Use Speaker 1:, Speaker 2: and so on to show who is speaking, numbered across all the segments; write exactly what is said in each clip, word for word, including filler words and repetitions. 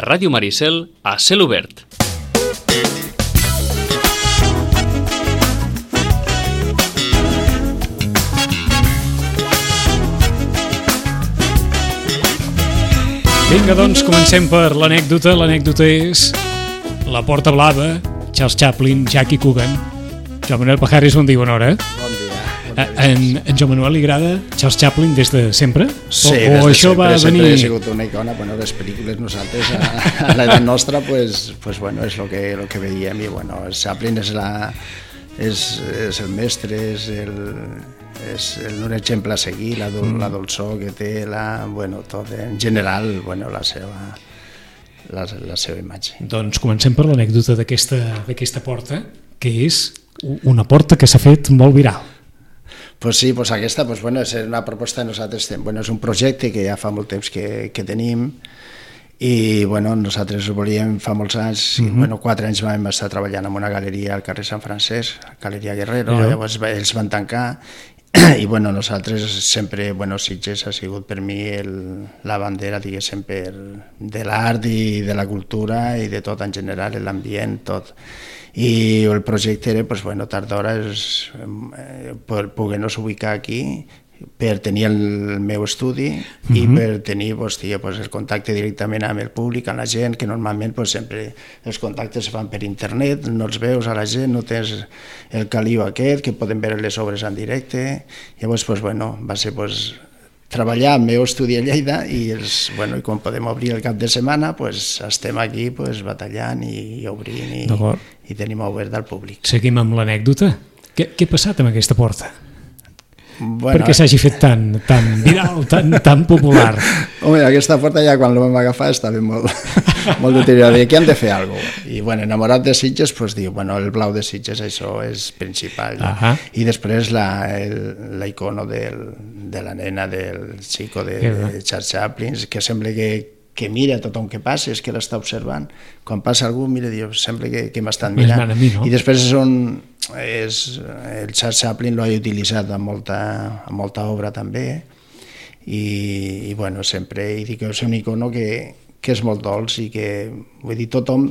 Speaker 1: a Ràdio Maricel, a Cel Obert.
Speaker 2: Vinga, doncs, comencem per l'anècdota. L'anècdota és La Porta Blava, Charles Chaplin, Jackie Coogan. Joan Manuel Pajares, bon dia, bona hora.
Speaker 3: Bon dia.
Speaker 2: A, en, en Joan Manuel li agrada Charles Chaplin des de sempre?
Speaker 3: Sí,
Speaker 2: o,
Speaker 3: des de
Speaker 2: o això
Speaker 3: sempre,
Speaker 2: va
Speaker 3: sempre
Speaker 2: venir...
Speaker 3: ha sigut una icona. Bueno, les pel·lícules nosaltres, a, a l'edat nostra, pues, pues bueno, és el que, lo que veiem. I bueno, Chaplin és, la, és, és el mestre, és el... és un exemple a seguir, la, dol, la dolçor que té, la, bueno, tot, en general, bueno, la seva, la, la seva imatge.
Speaker 2: Doncs comencem per l'anècdota d'aquesta porta, que és una porta que s'ha fet molt viral.
Speaker 3: Pues sí, pues aquesta pues bueno, és una proposta de nosaltres, bueno, és un projecte que ja fa molt temps que, que tenim i bueno, nosaltres ho volíem fa molts anys, uh-huh. bueno, quatre anys vam estar treballant en una galeria al carrer Sant Francesc, Galeria Guerrero, uh-huh. llavors ells van tancar i bueno, nosaltres sempre, bueno, Sitges ha sigut per mi el, la bandera, diguéssim, per, de l'art i de la cultura i de tot en general, l'ambient, tot. I el projecte era, pues, bueno, tard d'hora és eh, poder-nos ubicar aquí per tenir el meu estudi uh-huh. i per tenir pues, tia, pues, el contacte directament amb el públic, amb la gent, que normalment pues, sempre els contactes es fan per internet, no els veus a la gent, no tens el caliu aquest, que poden veure les obres en directe. Llavors, pues, bueno, va ser pues, treballar al meu estudi a Lleida i, els, bueno, i quan podem obrir el cap de setmana pues, estem aquí pues, batallant i, i obrint i, i tenim obert al públic.
Speaker 2: Seguim amb l'anècdota. Què, què ha passat amb aquesta porta?
Speaker 3: Bueno,
Speaker 2: perquè s'hagi fet tan, tan viral, tan, tan popular.
Speaker 3: Home, aquesta porta ja quan la vam agafar estava molt, molt deteriorada. I aquí hem de fer alguna cosa. I bueno, enamorat de Sitges, pues, diu, bueno, el blau de Sitges, això és principal. No? Uh-huh. I després la, el, la icono del, de la nena del xico de, uh-huh. de Charles Chaplin, que sembla que que mira tothom que passa, és que l'està observant. Quan passa algú, mira, diu, sembla que, que m'estan mirant.
Speaker 2: Mi, no?
Speaker 3: I després és on és, el Charles Chaplin l'ha utilitzat en molta, en molta obra també, i, i bueno, sempre i dic que és un icono que, que és molt dolç i que, vull dir, tothom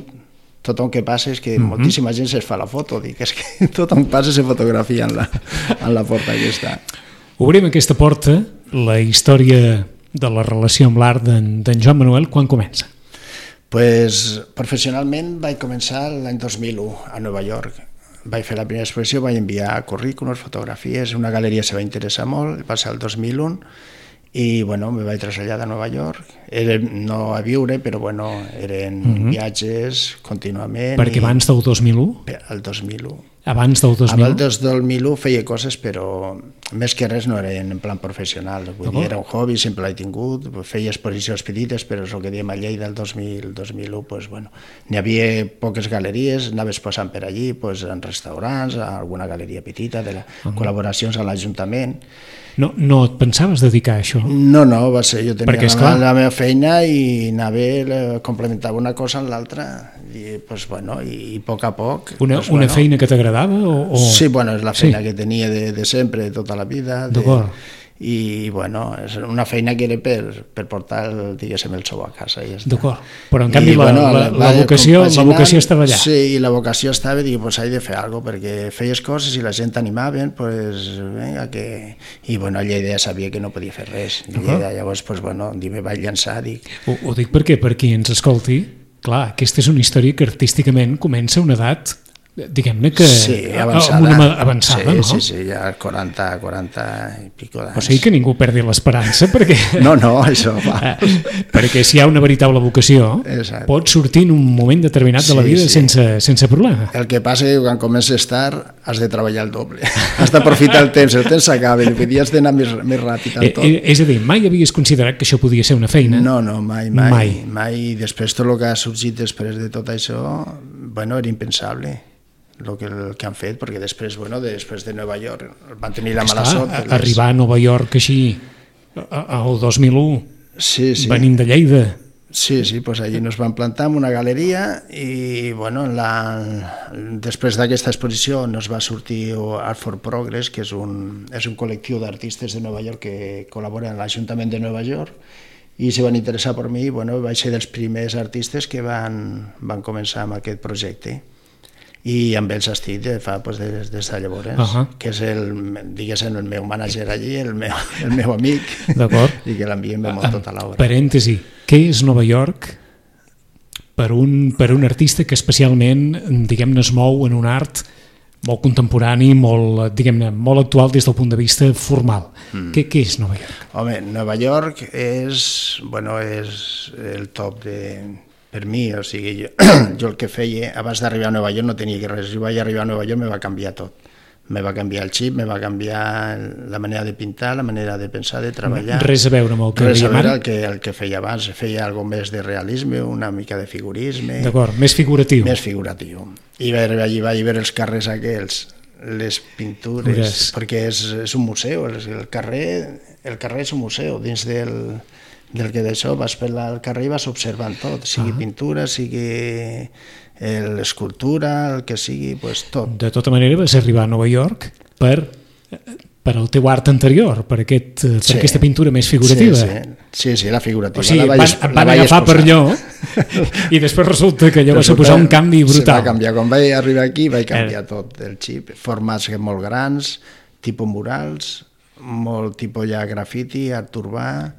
Speaker 3: tothom que passa és que mm-hmm. moltíssima gent es fa la foto, dic, és que tothom passa se fotografia en la, en la porta aquesta.
Speaker 2: Obrim aquesta porta, la història de la relació amb l'art d'en Joan Manuel, quan comença?
Speaker 3: Pues, professionalment vaig començar l'any dos mil u a Nova York. Vaig fer la primera exposició, vaig enviar currículums, fotografies, una galeria se va interessar molt, va ser el dos mil u, i bueno, me vaig traslladar a Nova York. Era no a viure, però bueno, eren uh-huh. viatges contínuament.
Speaker 2: Perquè i... abans del dos mil u?
Speaker 3: El dos mil u.
Speaker 2: Abans del dos mil u?
Speaker 3: Abans del dos mil u feia coses, però més que res no eren en plan professional. Vull dir, era un hobby, sempre l'he tingut, feia exposicions petites, però és el que diem a Lleida el dos mil u, pues, bueno, n'hi havia poques galeries, anaves passant per allí, pues, en restaurants, a alguna galeria petita, de la, uh-huh. col·laboracions a l'Ajuntament.
Speaker 2: No, no et pensaves dedicar a això?
Speaker 3: No, no, va ser, jo tenia
Speaker 2: Perquè,
Speaker 3: la, la meva feina i anava, complementava una cosa amb l'altra i, pues, bueno, i, i a poc a poc...
Speaker 2: Una,
Speaker 3: pues,
Speaker 2: una
Speaker 3: bueno,
Speaker 2: feina que t'agradava? O, o...
Speaker 3: Sí, bueno, és la feina sí. que tenia de, de sempre, de tota la vida. De, i bueno, és una feina que era per, per portar, diguéssim, el sou a casa. Ja
Speaker 2: d'acord, però en canvi I, la,
Speaker 3: bueno,
Speaker 2: la, la, la, vocació, la vocació estava allà.
Speaker 3: Sí, i la vocació estava, dic, pues, he de fer alguna cosa, perquè feies coses i la gent t'animaven, pues, venga, que... I bueno, a Lleida ja sabia que no podia fer res. Lleida, llavors, pues, bueno, me vaig llançar, dic...
Speaker 2: Ho, ho dic perquè, per qui ens escolti, clar, aquesta és una història que artísticament comença a una edat... diguem-ne que
Speaker 3: sí, avançada,
Speaker 2: amb una avançada,
Speaker 3: sí,
Speaker 2: no?
Speaker 3: Sí, sí, ja quaranta, quaranta i pico d'anys.
Speaker 2: O sigui que ningú perdi l'esperança, perquè...
Speaker 3: No, no, això va.
Speaker 2: Perquè si hi ha una veritable vocació,
Speaker 3: exacte. Pot
Speaker 2: sortir en un moment determinat de la vida sí, sí. sense, sense problema.
Speaker 3: El que passa és que quan comences tard has de treballar el doble. Has d'aprofitar el temps, el temps s'acaba, i has d'anar més, més ràpid en tot.
Speaker 2: Eh, és a dir, mai havies considerat que això podia ser una feina?
Speaker 3: No, no, mai, mai. Mai. mai. Després tot el que ha sorgit després de tot això, bueno, era impensable. El que, el que han fet, perquè després, bueno, després de Nova York van tenir la mala sort. Les...
Speaker 2: Arribar a Nova York així, al dos mil u,
Speaker 3: sí, sí.
Speaker 2: venint de Lleida.
Speaker 3: Sí, sí, pues allí nos van plantar en una galeria i, bueno, la... després d'aquesta exposició nos va sortir Art for Progress, que és un, és un col·lectiu d'artistes de Nova York que col·labora en l'Ajuntament de Nova York, i se van interessar per mi, bueno, vaig ser dels primers artistes que van, van començar amb aquest projecte. I amb ells estic de fa pues, des, des de llavors, uh -huh. que és el, diguéssim, el meu mànager allí, el meu, el meu amic, i que l'enviem molt tota l'obra.
Speaker 2: Parèntesi, què és Nova York per un, per un artista que especialment, diguem-ne, es mou en un art molt contemporani, molt, diguem-ne, molt actual des del punt de vista formal? Mm. Què, què és Nova York?
Speaker 3: Home, Nova York és, bueno, és el top de... Per mi, o sigui, jo, jo el que feia, abans d'arribar a Nova York no tenia res, jo vaig arribar a Nova York me va canviar tot. Me va canviar el xip, me va canviar la manera de pintar, la manera de pensar, de treballar.
Speaker 2: Res a veure amb el que
Speaker 3: Res a
Speaker 2: veiem
Speaker 3: veure
Speaker 2: ara?
Speaker 3: el que, el que feia abans, feia algo més de realisme, una mica de figurisme.
Speaker 2: D'acord, més figuratiu.
Speaker 3: Més figuratiu. I vaig, allí vaig veure els carrers aquells, les pintures, Ures. perquè és, és un museu, el carrer, el carrer és un museu, dins del... del que d'això vas per al carrer i vas observant tot, sigui ah. pintura, sigui l'escultura, el que sigui, pues, tot.
Speaker 2: De tota manera vas arribar a Nova York per, per el teu art anterior, per, aquest, per sí. aquesta pintura més figurativa.
Speaker 3: Sí, sí, sí, sí la figurativa.
Speaker 2: O sigui,
Speaker 3: la
Speaker 2: van,
Speaker 3: vaig,
Speaker 2: van
Speaker 3: la
Speaker 2: agafar per allò i després resulta que allò va suposar un canvi brutal.
Speaker 3: Se va canviar. Quan vaig arribar aquí vaig canviar eh. tot el xip, formats molt grans, tipus murals, molt tipus ja grafiti, art urbà,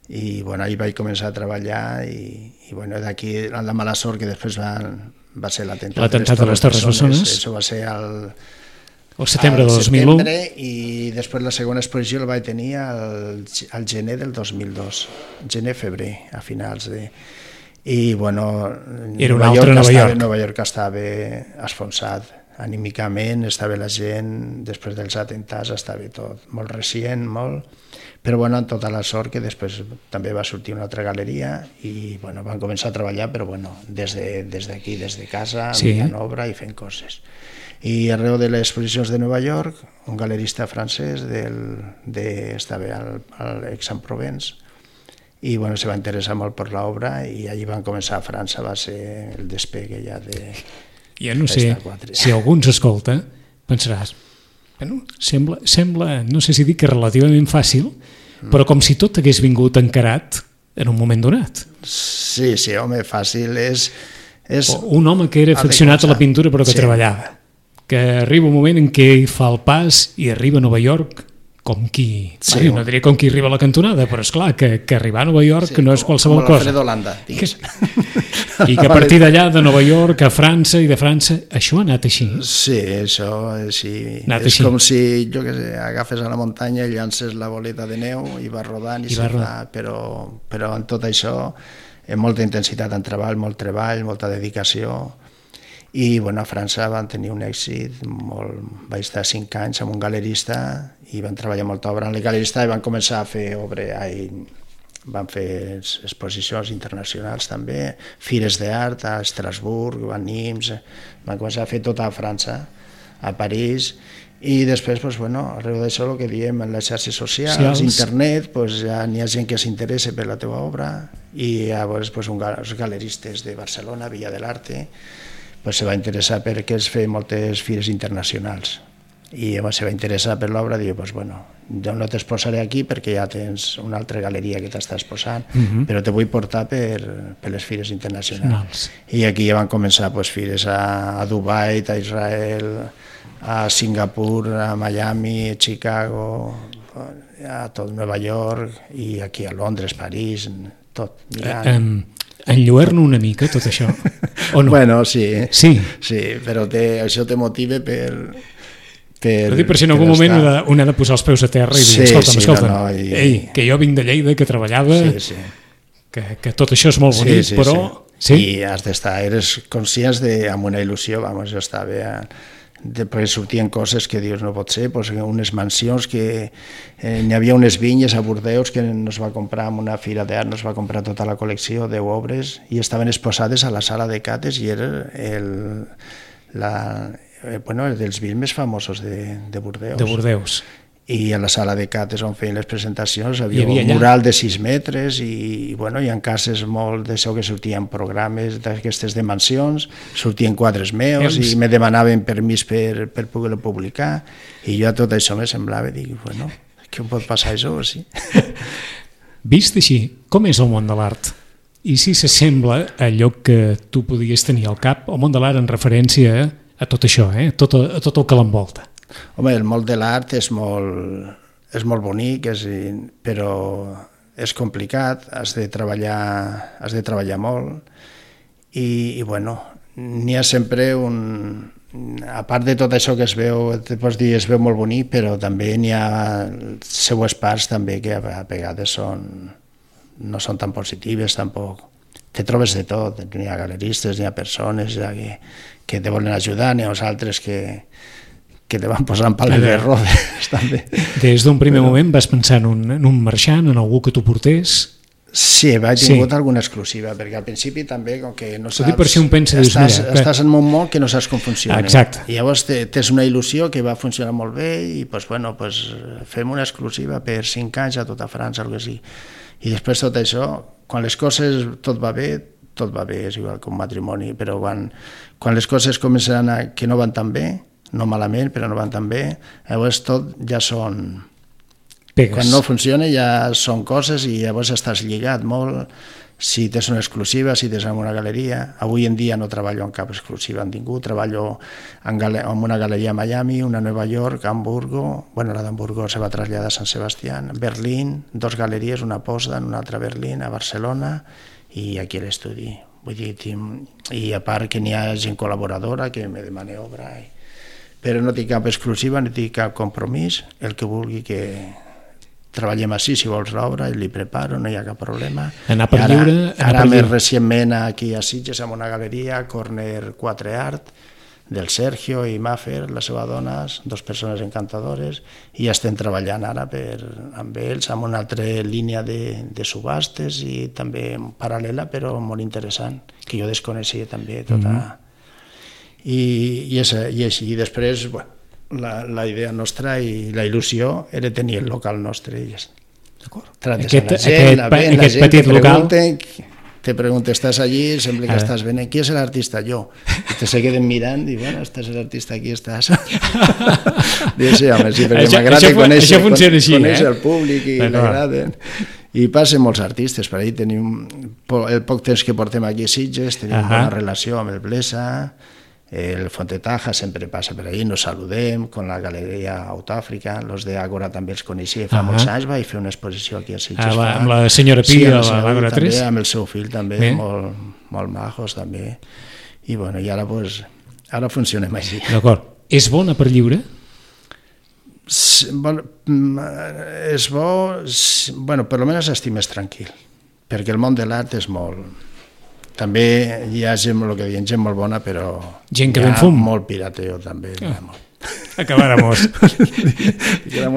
Speaker 3: i bueno, ahir vaig començar a treballar i, i bueno, d'aquí la mala sort que després va, va ser l'atemptat
Speaker 2: l'atemptat de les Torres Bessones,
Speaker 3: això va ser al,
Speaker 2: el setembre
Speaker 3: al
Speaker 2: del dos mil u
Speaker 3: setembre, i després la segona exposició la vaig tenir al, al gener del dos mil dos, gener-febrer, a finals de... I bueno,
Speaker 2: era un altre Nova York.
Speaker 3: Nova York estava esfonsat anímicament, estava la gent, després dels atemptats estava tot molt recient, molt... Però bueno, amb tota la sort que després també va sortir una altra galeria i bueno, van començar a treballar, però bueno, des d'aquí, de, des, des de casa, sí. mirant obra i fent coses. I arreu de les exposicions de Nova York, un galerista francès del, de, estava al, al Aix-en-Provence i bueno, se va interessar molt per l'obra i allí van començar a França, va ser el despegue ja de...
Speaker 2: Jo no sé si algú ens escolta, pensaràs, bueno, sembla, sembla, no sé si dic que relativament fàcil, però com si tot hagués vingut encarat en un moment donat.
Speaker 3: Sí, sí, home, fàcil és... és
Speaker 2: un home que era aficionat a la pintura però que sí. treballava, que arriba un moment en què hi fa el pas i arriba a Nova York com qui, sí, bueno, no diria com qui arriba a la cantonada, però és clar que, que arribar a Nova York sí, no és qualsevol
Speaker 3: com
Speaker 2: cosa.
Speaker 3: Com l'Alfredo Holanda, digues.
Speaker 2: I que a partir d'allà, de Nova York a França i de França, això ha anat així?
Speaker 3: Sí, això sí.
Speaker 2: Anat
Speaker 3: és
Speaker 2: així.
Speaker 3: Com si, jo què sé, agafes a la muntanya i llances la boleta de neu i vas rodant i, I se fa, però, però en tot això, amb molta intensitat en treball, molt treball, molta dedicació. I bueno, a França van tenir un èxit, molt... vaig estar cinc anys amb un galerista i van treballar molta obra en el galerista i van començar a fer obra, i van fer exposicions internacionals també, fires d'art a Estrasburg, a Nimes, van començar a fer tota a França, a París, i després, pues, bueno, arreu d'això el que diem en les xarxes socials, Cials. internet, pues, ja n'hi ha gent que s'interessa per la teva obra i llavors pues, un, els galeristes de Barcelona, Villa de l'Arte, pues, se va interessar perquè es feien moltes fires internacionals i se va interessar per l'obra i diu, pues, bueno, jo no t'exposaré aquí perquè ja tens una altra galeria que t'està exposant, uh-huh. però te vull portar per, per les fires internacionals. I aquí ja van començar pues, fires a, a Dubai, a Israel, a Singapur, a Miami, a Chicago, a tot Nova York i aquí a Londres, París, tot, Milán.
Speaker 2: Eh, um... Enlluerno una mica tot això? O no?
Speaker 3: Bueno, sí,
Speaker 2: sí.
Speaker 3: sí però te, això te motiva per... Per,
Speaker 2: per dir, per si en algun moment estar... un ha de posar els peus a terra i dir,
Speaker 3: sí,
Speaker 2: escolta'm,
Speaker 3: sí,
Speaker 2: escolta'm,
Speaker 3: no, no, i...
Speaker 2: ei, que jo vinc de Lleida, que treballava,
Speaker 3: sí, sí.
Speaker 2: Que, que tot això és molt bonic,
Speaker 3: sí, sí,
Speaker 2: però...
Speaker 3: Sí. Sí? I has d'estar, eres conscients de, amb una il·lusió, vamos, jo estava... A... Després sortien coses que dius no pot ser, pues, unes mansions que eh, n'hi havia unes vinyes a Bordeus que nos va comprar en una fira d'art, nos va comprar tota la col·lecció, deu obres, i estaven exposades a la sala de cates i era el, la, eh, bueno, dels vins més famosos de, de Bordeus.
Speaker 2: De Bordeus.
Speaker 3: I a la sala de cates on feien les presentacions havia, havia un mural de sis metres i, bueno, hi ha cases molt d'això que sortien programes d'aquestes de mansions, sortien quadres meus Ems. i me demanaven permís per, per poder-lo publicar i jo a tot això me semblava, dic, bueno, què pot passar això? Sí.
Speaker 2: Vist així, com és el món de l'art? I si s'assembla a allò que tu podies tenir al cap, el món de l'art en referència a tot això, eh? a, tot, a tot el que l'envolta?
Speaker 3: Home, el món de l'art és molt, és molt bonic, és, però és complicat, has de treballar, has de treballar molt i, i bueno, n'hi ha sempre un... A part de tot això que es veu, te pots dir, es veu molt bonic, però també n'hi ha seues parts també que a vegades són, no són tan positives tampoc. Te trobes de tot, n'hi ha galeristes, n'hi ha persones ja que, que te volen ajudar, n'hi ha uns altres que, que te van posant pales de rodes també.
Speaker 2: Des d'un primer però... moment vas pensar en un, en un marxant, en algú que t'ho portés?
Speaker 3: Sí, vaig tingut sí. alguna exclusiva, perquè al principi també, com que no saps...
Speaker 2: Per si un pensa, dius,
Speaker 3: estàs,
Speaker 2: mira,
Speaker 3: estàs en un món que no saps com funciona.
Speaker 2: Exacte.
Speaker 3: I llavors tens una il·lusió que va funcionar molt bé i pues, bueno, pues, fem una exclusiva per cinc anys a tota França, o que sigui. I després tot això, quan les coses tot va bé, tot va bé, és igual que un matrimoni, però quan, quan les coses comencen a, que no van tan bé, no malament, però no van tan bé, llavors tot ja són...
Speaker 2: Pegues.
Speaker 3: Quan no funciona ja són coses i llavors estàs lligat molt, si tens una exclusiva, si tens en una galeria. Avui en dia no treballo en cap exclusiva en ningú, treballo en, gale- en una galeria a Miami, una a Nova York, Hamburgo, bueno, la d'Hamburgo se va traslladar a Sant Sebastián, Berlín, dos galeries, una a Potsdam, una altra a Berlín, a Barcelona i aquí a l'estudi. Vull dir, i a part que n'hi ha gent col·laboradora que me demana obra, i... però no tinc cap exclusiva, no tinc cap compromís, el que vulgui que... treballem així, si vols l'obra, i li preparo, no hi ha cap problema.
Speaker 2: Anar per
Speaker 3: ara,
Speaker 2: lliure... Anar
Speaker 3: ara
Speaker 2: per
Speaker 3: més
Speaker 2: lliure.
Speaker 3: recentment aquí a Sitges, amb una galeria, Corner quatre Art, del Sergio i Maffer, la seva dona, dos persones encantadores, i ja estem treballant ara per, amb ells, amb una altra línia de, de subhastes i també paral·lela, però molt interessant, que jo desconeixia també tota... Mm-hmm. I, i, és, i així, i després, bueno, La, la idea nostra i la il·lusió era tenir el local nostre. Trates
Speaker 2: aquest,
Speaker 3: a la gent,
Speaker 2: aquest,
Speaker 3: la ven,
Speaker 2: aquest
Speaker 3: la gent
Speaker 2: petit
Speaker 3: te
Speaker 2: local...
Speaker 3: Te pregunta, estàs allí, sembla que
Speaker 2: Ara.
Speaker 3: estàs venent, qui és l'artista? Jo. I te se queden mirant i, bueno, estàs l'artista, aquí estàs. Dius, sí, home, sí, perquè m'agrada conèixer, conèixer
Speaker 2: eh?
Speaker 3: el públic i l'agraden. I passen molts artistes, per ahí tenim el poc temps que portem aquí a Sitges, tenim uh-huh. bona relació amb el Blesa, el Fontetaja sempre passa per ahí, nos saludem, con la galeria Autàfrica, los de Ágora també els coneixia, fa uh-huh. molts anys vaig fer una exposició aquí a Sitges.
Speaker 2: Ah, va, amb la senyora Pi, sí, a l'Àgora tres?
Speaker 3: També, amb el seu fill també, eh? molt, molt majos també. I bueno, i ara, pues, ara funcionem així.
Speaker 2: D'acord. És bona per lliure?
Speaker 3: Sí, bueno, és bo, sí, bueno, per almenys estic més tranquil, perquè el món de l'art és molt... També hi ha gent, el que diem, gent molt bona, però
Speaker 2: gent que
Speaker 3: hi ha
Speaker 2: ben fum.
Speaker 3: molt pirateo també. Ah.
Speaker 2: Acabáramos.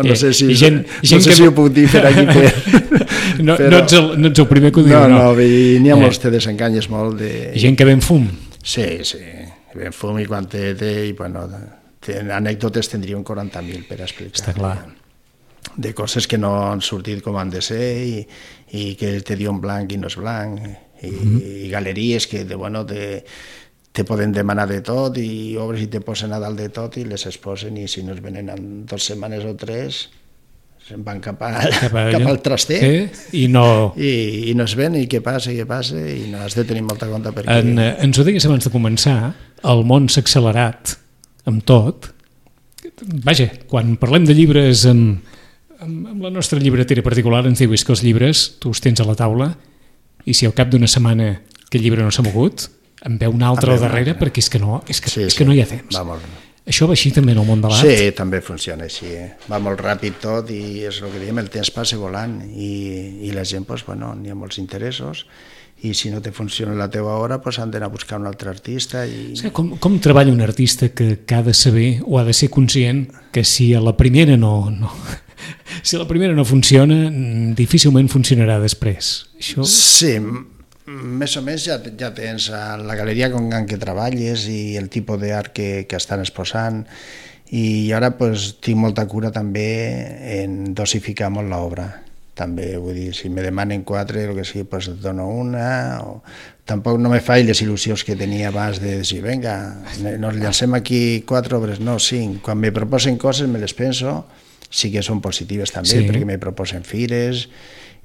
Speaker 3: no sé si,
Speaker 2: gent,
Speaker 3: no
Speaker 2: gent
Speaker 3: sé
Speaker 2: que...
Speaker 3: si ho puc dir per aquí. Per...
Speaker 2: no,
Speaker 3: però...
Speaker 2: no, ets el, no ets el primer que ho diu,
Speaker 3: no?
Speaker 2: No,
Speaker 3: no, n'hi ha eh. molts, te desenganyes molt. De...
Speaker 2: Gent que ben fum.
Speaker 3: Sí, sí, ben fum i quan té, té i bueno, té, anècdotes tindríem quaranta mil per explicar.
Speaker 2: Està clar.
Speaker 3: De coses que no han sortit com han de ser i, i que te diuen blanc i no és blanc. I, mm-hmm. i galeries que de, bueno, te, te poden demanar de tot i obres i te posen a dalt de tot i les exposen i si no es venen en dues setmanes o tres se'n van cap, a, cap, a cap al traster
Speaker 2: eh? I, no...
Speaker 3: I, i no es ven i què passa, què passa i no has de tenir molta compte perquè...
Speaker 2: En, ens ho digues abans de començar, el món s'ha accelerat amb tot. Vaja, quan parlem de llibres amb, amb, amb la nostra llibretera particular ens diu que els llibres tu els tens a la taula i si al cap d'una setmana que el llibre no s'ha mogut, en veu un altre al darrere una... perquè és que no, és que,
Speaker 3: sí,
Speaker 2: és
Speaker 3: sí.
Speaker 2: que no hi ha temps.
Speaker 3: Va molt...
Speaker 2: Això va així també en el món de l'art?
Speaker 3: Sí, també funciona així. Eh? Va molt ràpid tot i és el que diem, el temps passa volant i, i la gent, pues, bueno, n'hi ha molts interessos i si no te funciona la teva hora pues, han d'anar a buscar un altre artista. I...
Speaker 2: Sí, com, com treballa un artista que, que ha de saber o ha de ser conscient que si a la primera no... no... Si la primera no funciona, difícilment funcionarà després. Això...
Speaker 3: Sí, més o menys ja, ja tens la galeria en què treballes i el tipus d'art que, que estan exposant i ara pues, tinc molta cura també en dosificar molt l'obra. També, vull dir, si me demanen quatre, el que sigui, pues et dono una, o... Tampoc no me faig les il·lusions que tenia abans de dir, vinga, nos llancem aquí quatre obres, no, cinc. Quan me proposen coses me les penso, sí que són positives també, sí. Perquè me proposen fires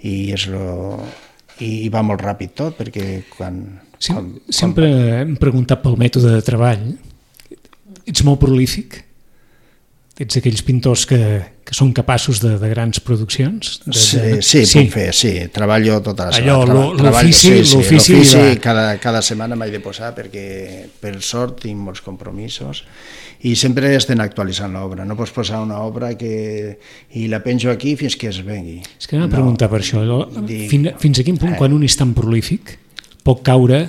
Speaker 3: i és lo... i va molt ràpid tot, perquè quan...
Speaker 2: Sí,
Speaker 3: quan
Speaker 2: sempre
Speaker 3: quan...
Speaker 2: hem preguntat pel mètode de treball. Ets molt prolífic? Ets aquells pintors que, que són capaços de, de grans produccions? De,
Speaker 3: sí,
Speaker 2: de...
Speaker 3: sí, sí, puc fer, sí. Treballo tota la setmana.
Speaker 2: Allò, l'ofici...
Speaker 3: Sí, sí,
Speaker 2: l'ofici
Speaker 3: va... cada, cada setmana m'he de posar perquè, per sort, tinc molts compromisos i sempre estem actualitzant l'obra. No pots posar una obra que... i la penjo aquí fins que es vengui.
Speaker 2: És que anava a preguntar no, per això.
Speaker 3: Dic...
Speaker 2: Fins, fins a quin punt, eh. quan un és tan prolífic, pot caure...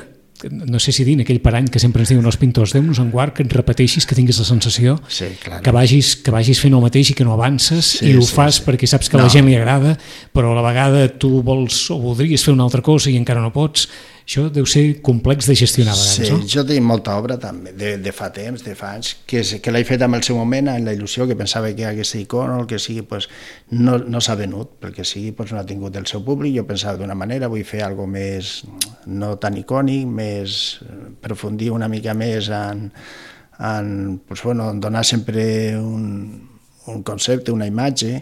Speaker 2: no sé si dir, aquell parany que sempre ens diuen els pintors, Déu-nos en guard, que et repeteixis, que tinguis la sensació
Speaker 3: sí, claro. que,
Speaker 2: vagis, que vagis fent el mateix i que no avances, sí, i ho sí, fas sí. perquè saps que a no. la gent li agrada, però a la vegada tu vols o voldries fer una altra cosa i encara no pots. Això deu ser complex de gestionar a vegades,
Speaker 3: sí,
Speaker 2: no?
Speaker 3: Jo tinc molta obra també, de, de fa temps, de fa anys, que, que l'he fet en el seu moment, en la il·lusió, que pensava que aquesta icona o el que sigui, pues, no, no s'ha venut, perquè sigui pues, no ha tingut el seu públic. Jo pensava d'una manera, vull fer alguna més, no tan icònic, més aprofundir una mica més en, en pues, bueno, donar sempre un, un concepte, una imatge,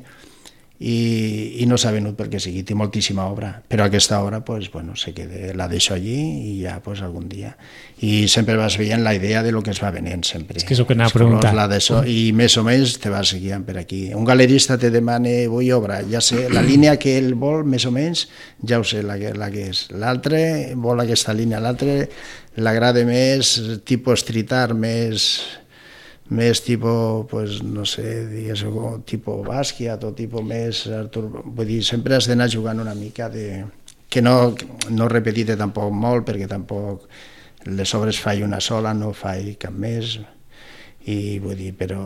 Speaker 3: i, i no s'ha venut perquè sigui, té moltíssima obra, però aquesta obra pues, bueno, se queda, la deixo allí i ja pues, algun dia. I sempre vas veient la idea de lo que es va venent sempre.
Speaker 2: És que és el que anava a preguntar.
Speaker 3: I més o menys te vas guiant per aquí. Un galerista te demana, vull obra, ja sé, la línia que ell vol, més o menys, ja ho sé la que, la que és. L'altre vol aquesta línia, l'altre l'agrada més tipus street art, més... més tipus, pues, no sé, digues, tipus Basquiat o tipus més Artur... Vull dir, sempre has d'anar jugant una mica de... que no, no repetir-te tampoc molt, perquè tampoc les obres faig una sola, no faig cap més, i vull dir, però...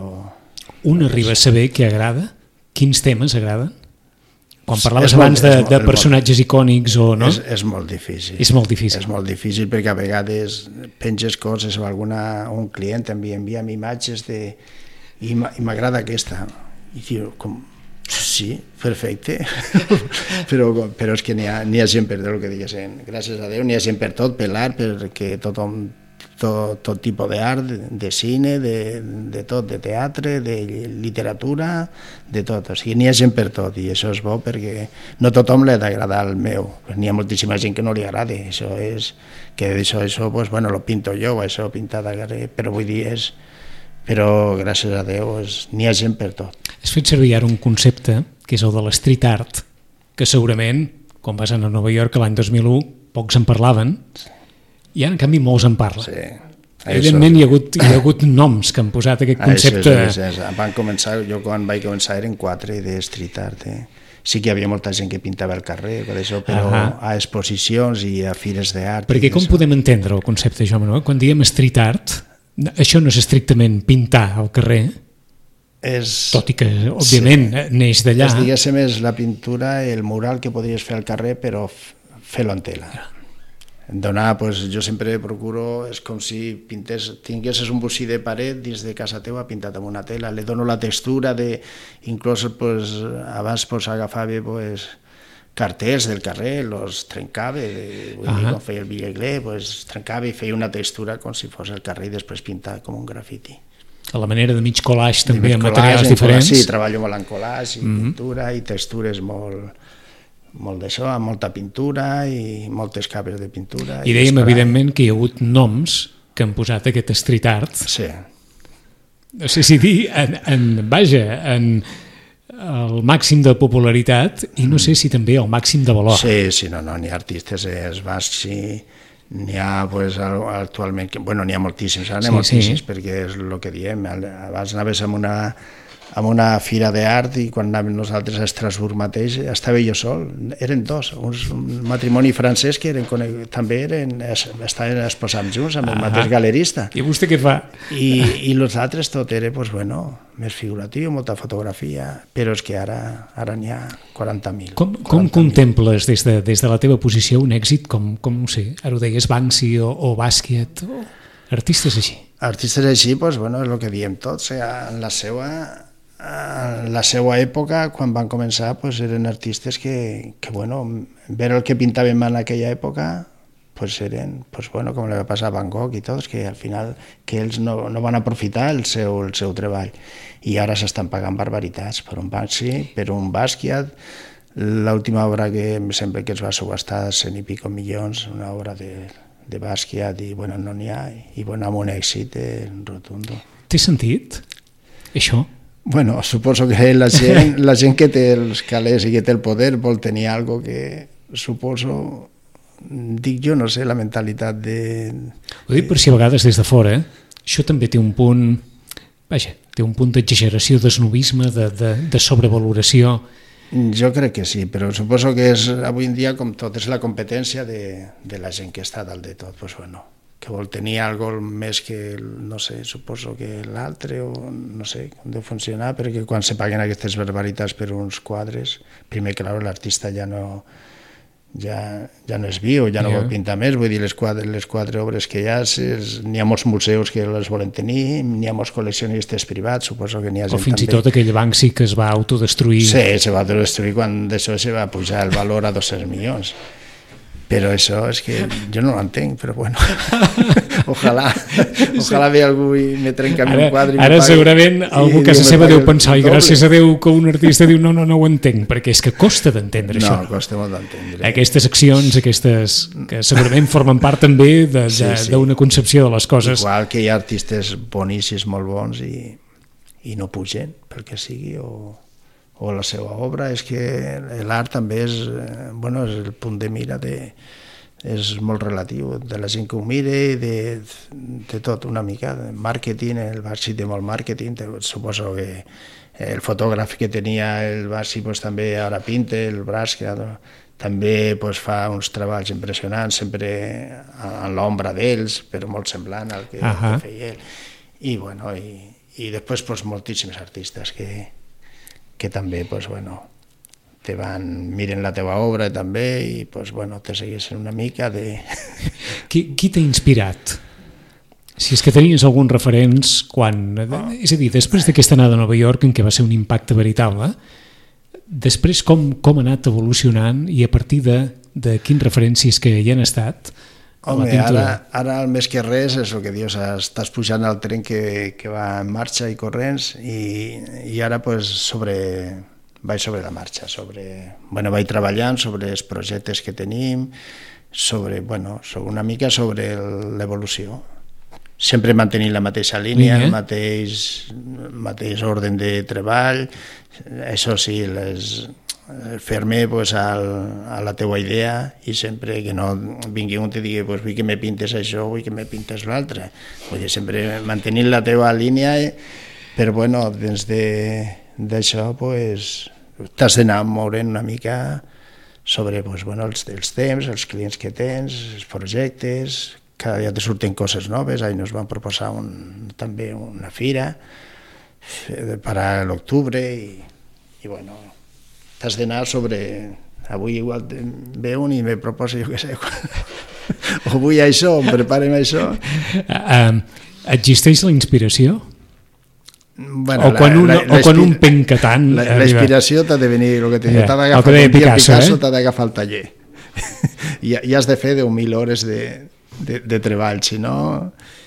Speaker 2: Un arriba a saber què agrada? Quins temes agraden? Quan parlaves
Speaker 3: molt,
Speaker 2: abans de,
Speaker 3: molt,
Speaker 2: de personatges molt, icònics o no?
Speaker 3: És, és molt difícil.
Speaker 2: És molt difícil.
Speaker 3: És molt difícil perquè a vegades penges coses o alguna, un client envia, envia'm imatges de... i m'agrada aquesta. I diu, com... sí, perfecte. però, però és que n'hi ha, n'hi ha gent per el que diguessin. Gràcies a Déu n'hi ha gent per tot, per l'art, perquè tothom... Tot, tot tipus d'art, de, de cine, de, de tot, de teatre, de literatura, de tot. O sigui, n'hi ha gent per tot i això és bo perquè no tothom li ha d'agradar el meu. N'hi ha moltíssima gent que no li agrada. Això és, que això, això pues, bueno, lo pinto jo, això pintat a carrer, però vull dir, és... Però gràcies a Déu n'hi ha gent per tot.
Speaker 2: Has fet servir ara un concepte, que és el de l'street art, que segurament, quan vas anar a Nova York l'any dos mil u, pocs en parlaven, i ara, en canvi, molts en parlen.
Speaker 3: Sí.
Speaker 2: Evidentment, hi ha, hagut, hi ha hagut noms que han posat aquest concepte.
Speaker 3: Això és, això és. Van començar, jo quan vaig començar eren quatre de street art. Eh? Sí que hi havia molta gent que pintava al carrer, per això, però uh -huh. a exposicions i a fires d'art.
Speaker 2: Perquè com podem entendre el concepte, jo, Manuel? Quan diem street art, això no és estrictament pintar al carrer,
Speaker 3: és...
Speaker 2: tot i que, òbviament, sí. neix d'allà.
Speaker 3: És, diguéssim, és la pintura, el mural que podries fer al carrer, però fer-lo en tela. Donar, pues, jo sempre procuro, és com si pintés, tinguessis un bocí de paret dins de casa teva pintat amb una tela, li dono la textura de, inclús pues, abans pues, agafava pues, cartells del carrer, los trencava, de, vull dir, quan feia el Villegler, pues, trencava i feia una textura com si fos el carrer i després pintar com un grafiti.
Speaker 2: A la manera de mig collage també, amb materials diferents.
Speaker 3: Sí, treballo molt en collage i mm -hmm. pintura i textures molt... molt d'això, amb molta pintura i moltes capes de pintura.
Speaker 2: I, I dèiem, evidentment, que hi ha hagut noms que han posat aquest street art.
Speaker 3: Sí.
Speaker 2: No sé si dir, en, en, vaja, en el màxim de popularitat i no sé si també el màxim de valor.
Speaker 3: Sí, sí, no, no, n'hi ha artistes, es va, sí, n'hi ha, pues, actualment, bueno, n'hi ha moltíssims, ara n'hi ha sí, moltíssims, sí. perquè és el que diem, abans anaves amb una... amb una fira d'art i quan anàvem nosaltres a Estrasburg mateix estava jo sol, eren dos, un matrimoni francès que eren, també eren, estaven exposant junts amb el ah, mateix galerista.
Speaker 2: I vostè què fa?
Speaker 3: I, i els altres tot era, pues, bueno, més figuratiu, molta fotografia, però és que ara ara n'hi ha quaranta mil.
Speaker 2: Com, com contemples des de, des de la teva posició un èxit com, com no sé, ara ho deies, Banksy o, o Basquiat, o artistes així?
Speaker 3: Artistes així, pues, bueno, és el que diem tots, en la seva... en la seva època, quan van començar, pues, eren artistes que, que bueno, veure el que pintaven en aquella època, pues, eren, pues, bueno, com li va passar a Van Gogh i tots, que al final que ells no, no van aprofitar el seu, el seu treball i ara s'estan pagant barbaritats per un Banksy, per un Basquiat, l'última obra que em sembla que es va subhastar cent i pico milions, una obra de, de Basquiat, i bueno, no n'hi ha, i bueno, amb un èxit eh, rotundo.
Speaker 2: Té sentit, això?
Speaker 3: Bueno, suposo que la gent, la gent que té els calés i que té el poder vol tenir algo que suposo, dic jo, no sé, la mentalitat de...
Speaker 2: Ho dic per si a vegades des de fora, això també té un punt, vaja, té un punt d'exageració, d'esnovisme, de, de, de sobrevaloració.
Speaker 3: Jo crec que sí, però suposo que és avui en dia com tot, és la competència de, de la gent que està dalt de tot, pues bueno, que vol tenir algo més que, no sé, suposo que l'altre, o no sé com deu funcionar, perquè quan se paguen aquestes barbaritats per uns quadres, primer, clar, l'artista ja no... ja, ja no és viu, ja no yeah. vol pintar més, vull dir, les quatre, les quatre obres que hi ha, n'hi ha molts museus que les volen tenir, n'hi ha molts col·leccionistes privats, suposo que n'hi ha gent
Speaker 2: o fins
Speaker 3: també.
Speaker 2: I tot aquell Banksy que es va autodestruir.
Speaker 3: Sí, se va autodestruir quan d'això se va pujar el valor a dos-cents milions. Però això és que jo no l'entenc, però bueno, ojalà, ojalà ve algú i me trenca un quadre i
Speaker 2: ara
Speaker 3: me pagui.
Speaker 2: Segurament algú a casa seva deu pensar, i gràcies a Déu que un artista diu no, no, no ho entenc, perquè és que costa d'entendre això.
Speaker 3: No, costa molt d'entendre.
Speaker 2: Aquestes accions, aquestes que segurament formen part també d'una sí, sí. concepció de les coses.
Speaker 3: Igual que hi ha artistes boníssims, molt bons, i, i no pugen, pel que sigui, o... o la seva obra, és que l'art també és, bueno, és el punt de mira de, és molt relatiu, de la gent que ho mira i de, de tot una mica, de màrqueting, el Barsi té molt màrqueting, suposo que el fotògraf que tenia el Barsi pues, també ara pinta, el Braç que també pues, fa uns treballs impressionants, sempre a l'ombra d'ells, però molt semblant al que, uh-huh. que feia ell. I, bueno, i, i després pues, moltíssims artistes que que també, pues, bueno, te van, miren la teva obra també i pues, bueno, te segueixen una mica de...
Speaker 2: Qui, qui t'ha inspirat? Si és que tenies alguns referents quan... Oh. És a dir, després d'aquesta anada a Nova York, en què va ser un impacte veritable, després com, com ha anat evolucionant i a partir de, de quins referències que hi han estat?
Speaker 3: Home, ara, ara el més que res és el que dius, estàs pujant al tren que, que va en marxa i corrents i, i ara pues, sobre, vaig sobre la marxa, sobre, bueno, vaig treballant sobre els projectes que tenim, sobre, bueno, sobre una mica sobre l'evolució. Sempre mantenint la mateixa línia, el mateix, mateix ordre de treball, això sí, les... fer-me pues, al, a la teua idea i sempre que no vingui un i digui pues, vull que me pintes això, vull que me pintes l'altre. Vull dir, sempre mantenint la teua línia, però bueno, dins d'això pues, t'has d'anar movent una mica sobre pues, bueno, els, els temps, els clients que tens, els projectes, cada dia te surten coses noves, ahir ens van proposar un, també una fira per a l'octubre i, i bueno, t'has d'anar sobre... Avui igual ve un i me proposa, jo què sé, o vull això, o preparem això.
Speaker 2: Uh, existeix la inspiració?
Speaker 3: Bueno,
Speaker 2: o quan un,
Speaker 3: la, la,
Speaker 2: o quan un penca tant...
Speaker 3: La, la inspiració t'ha de venir, el que t'ha
Speaker 2: yeah,
Speaker 3: d'agafar un dia
Speaker 2: Picasso,
Speaker 3: Picasso,
Speaker 2: eh?
Speaker 3: t'ha d'agafar el taller. I, I has de fer deu mil hores de, de, de treball, si no...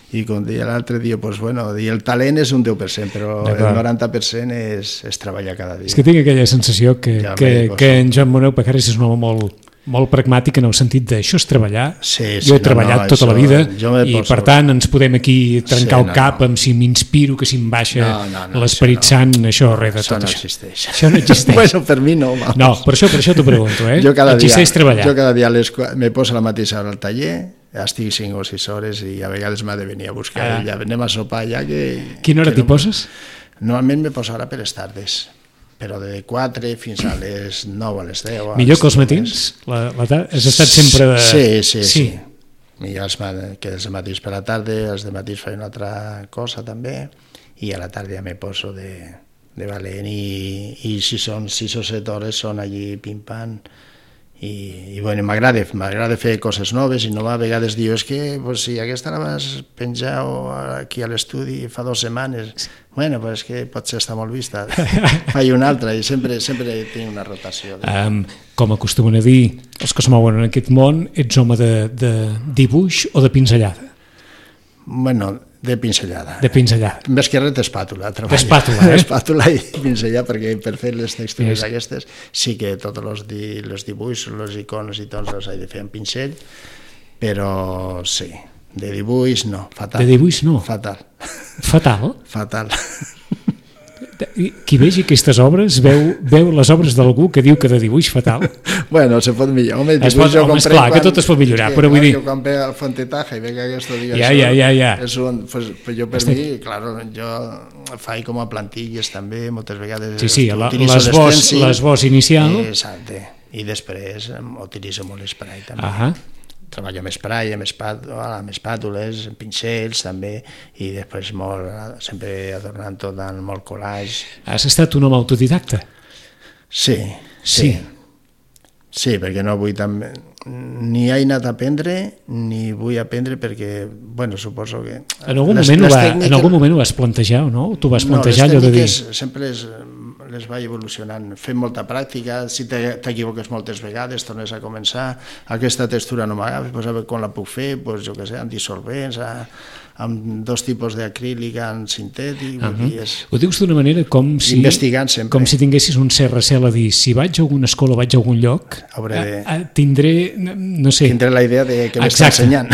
Speaker 3: I com deia l'altre dia, pues, bueno, el talent és un deu per cent, però el noranta per cent és, és treballar cada dia.
Speaker 2: És que tinc aquella sensació que, ja que, que en Joan Moneu Pajares és un home molt, molt pragmàtic en el sentit d'això és treballar.
Speaker 3: Sí, sí,
Speaker 2: jo he treballat no, no, tota això, la vida i per tant ens podem aquí trencar sí, el cap no, no. amb si m'inspiro, que si em baixa no, no, no, l'esperit això no. sant, això res de tot
Speaker 3: això. No
Speaker 2: això.
Speaker 3: Existeix.
Speaker 2: Això no existeix.
Speaker 3: Bueno, per mi no. Vamos.
Speaker 2: No, per això, per això t'ho pregunto, eh?
Speaker 3: Jo cada
Speaker 2: existeix
Speaker 3: dia,
Speaker 2: treballar.
Speaker 3: Jo cada dia les, me poso a la mateixa hora al taller, estic cinc o sis hores i a vegades m'ha de venir a buscar ah. ja anem a sopar ja que...
Speaker 2: Quina hora
Speaker 3: que
Speaker 2: t'hi
Speaker 3: no...
Speaker 2: poses?
Speaker 3: Normalment me poso ara per les tardes, però de quatre fins a les nou a les deu.
Speaker 2: Millor que els matins? La, la ta... Has estat sempre de...
Speaker 3: Sí, sí, sí. sí. Millor els, que els matins per la tarda, els de matins faig una altra cosa també i a la tarda ja me poso de, de valent i, i si són sis o set hores són allí pim-pam. I, i bueno, m'agrada, m'agrada fer coses noves i no a vegades diu, és que pues, si aquesta la vas penjar aquí a l'estudi fa dues setmanes, bueno, pues, és que potser està molt vista, faig una altra i sempre, sempre tinc una rotació. De...
Speaker 2: Um, com acostumen a dir els que es mouen en aquest món, ets home de, de dibuix o de pinzellada?
Speaker 3: Bueno, De pinzellada.
Speaker 2: De pinzellada.
Speaker 3: Més que res d'espàtula.
Speaker 2: D'espàtula, eh?
Speaker 3: D'espàtula i pinzellar, perquè per fer les textures
Speaker 2: Yes.
Speaker 3: aquestes sí que tots els, di, els dibuixos, les icones i tots els he de fer amb pincell, però sí, de dibuix no, fatal.
Speaker 2: De dibuix no?
Speaker 3: Fatal.
Speaker 2: Fatal?
Speaker 3: Fatal.
Speaker 2: Qui vegi aquestes obres veu, veu les obres d'algú que diu que de dibuix fatal.
Speaker 3: Bueno, se pot millorar. Home,
Speaker 2: es pot, home, esclar, quan, que tot es pot millorar, però vull dir...
Speaker 3: Jo quan ve al Fontetaja i veig que aquesta diga
Speaker 2: ja,
Speaker 3: això,
Speaker 2: ja, ja, ja.
Speaker 3: És un, pues, pues jo per Estic... mi, claro, jo faig com a plantilles també, moltes vegades...
Speaker 2: Sí, sí, la, l'esbós, l'esbós inicial...
Speaker 3: Exacte, i després utilitzo molt l'esprai també.
Speaker 2: Ahà.
Speaker 3: Treballo amb esprai, amb, espàtules, amb espàtules, amb pincells també, i després molt, sempre adornant tot amb molt collage.
Speaker 2: Has estat un home autodidacta?
Speaker 3: Sí, sí. Sí, sí perquè no vull també... Ni he anat a aprendre, ni vull aprendre perquè, bueno, suposo que...
Speaker 2: En algun,
Speaker 3: les,
Speaker 2: moment,
Speaker 3: les
Speaker 2: va,
Speaker 3: tècniques...
Speaker 2: en algun moment ho vas plantejar o no? Tu vas plantejar
Speaker 3: no,
Speaker 2: allò de dir...
Speaker 3: sempre les, les vaig evolucionant, fent molta pràctica, si t'equivoques moltes vegades, tornes a començar, aquesta textura no m'agafa, pues a veure com la puc fer, pues, jo què sé, amb dissolvents, a, amb dos tipus d'acrílic, amb sintètic... Uh -huh. és...
Speaker 2: Ho dius d'una manera com si...
Speaker 3: Investigant sempre.
Speaker 2: Com si tinguessis un cert recel a dir, si vaig a alguna escola, vaig a algun lloc, de... a, a, tindré, no sé...
Speaker 3: Tindré la idea de que m'està ensenyant.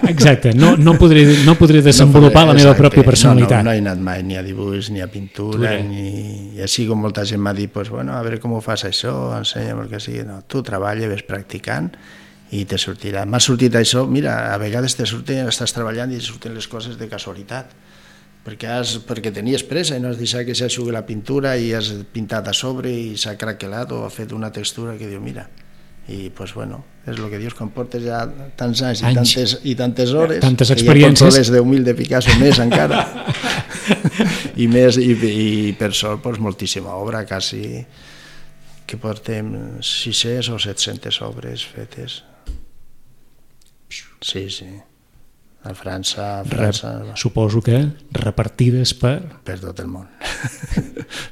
Speaker 2: Exacte, no, no, podré, no podré desenvolupar no podré, la meva exacte. pròpia personalitat.
Speaker 3: No, no, no he anat mai ni a dibuix, ni a pintura, ni... i així com molta gent m'ha dit, pues, bueno, a veure com ho fas això, ensenya'm el que sigui. No, tu treballa, ves practicant i te sortirà. M'ha sortit això, mira, a vegades te surten, estàs treballant i surten les coses de casualitat, perquè, has, perquè tenies pressa i no has deixat que s'aixugui la pintura i has pintat a sobre i s'ha craquelat o ha fet una textura que diu, mira, i pues bueno, és el que dius, quan portes ja tants anys, anys. I, tantes, i tantes hores,
Speaker 2: tantes experiències,
Speaker 3: i ja portes deu mil de Picasso més encara, i més, i, i per sort pues, moltíssima obra, quasi que portem sis-centes o set-centes obres fetes. Sí, sí. A França... A França
Speaker 2: Rep, suposo que repartides per...
Speaker 3: Per tot el món.